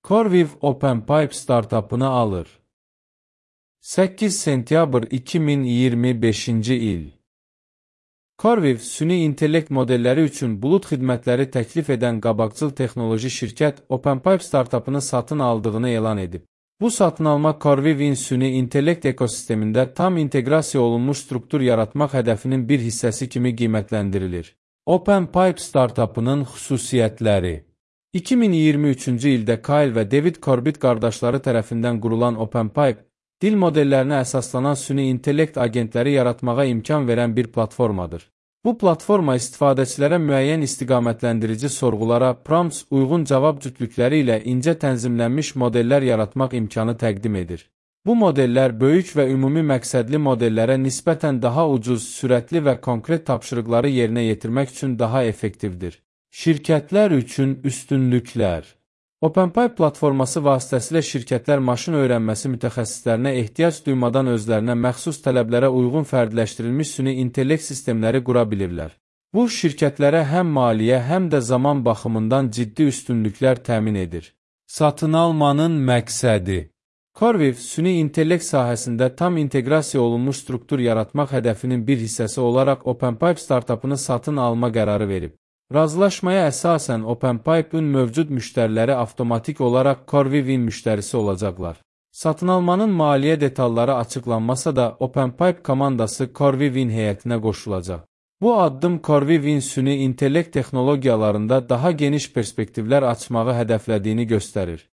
CoreWeave OpenPipe startapını alır. 8 sentyabr 2025-ci il. CoreWeave süni intellekt modelləri üçün bulut xidmətləri təklif edən qabaqcıl texnoloji şirkət OpenPipe startapını satın aldığını elan edib. Bu satın alma CoreWeave-in süni intellekt ekosistemində tam inteqrasiya olunmuş struktur yaratmaq hədəfinin bir hissəsi kimi qiymətləndirilir. OpenPipe startapının xüsusiyyətləri. 2023-cü ildə Kyle və David Corbett qardaşları tərəfindən qurulan OpenPipe, dil modellərinə əsaslanan süni intellekt agentləri yaratmağa imkan verən bir platformadır. Bu platforma istifadəçilərə müəyyən istiqamətləndirici sorğulara prompts uyğun cavab cütlükləri ilə incə tənzimlənmiş modellər yaratmaq imkanı təqdim edir. Bu modellər böyük və ümumi məqsədli modellərə nisbətən daha ucuz, sürətli və konkret tapşırıqları yerinə yetirmək üçün daha effektivdir. Şirkətlər üçün üstünlüklər. OpenPipe platforması vasitəsilə şirkətlər maşın öyrənməsi mütəxəssislərinə ehtiyac duymadan özlərinə məxsus tələblərə uyğun fərdləşdirilmiş süni intellekt sistemləri qura bilirlər. Bu, şirkətlərə həm maliyyə, həm də zaman baxımından ciddi üstünlüklər təmin edir. Satın almanın məqsədi. CoreWeave, süni intellekt sahəsində tam inteqrasiya olunmuş struktur yaratmaq hədəfinin bir hissəsi olaraq OpenPipe startapını satın alma qərarı verib. Razılaşmaya əsasən OpenPipe-ın mövcud müştəriləri avtomatik olaraq CoreWeave-in müştərisi olacaqlar. Satın almanın maliyyə detalları açıqlanmasa da OpenPipe komandası CoreWeave-in heyətinə qoşulacaq. Bu addım CoreWeave-in süni intellekt texnologiyalarında daha geniş perspektivlər açmağı hədəflədiyini göstərir.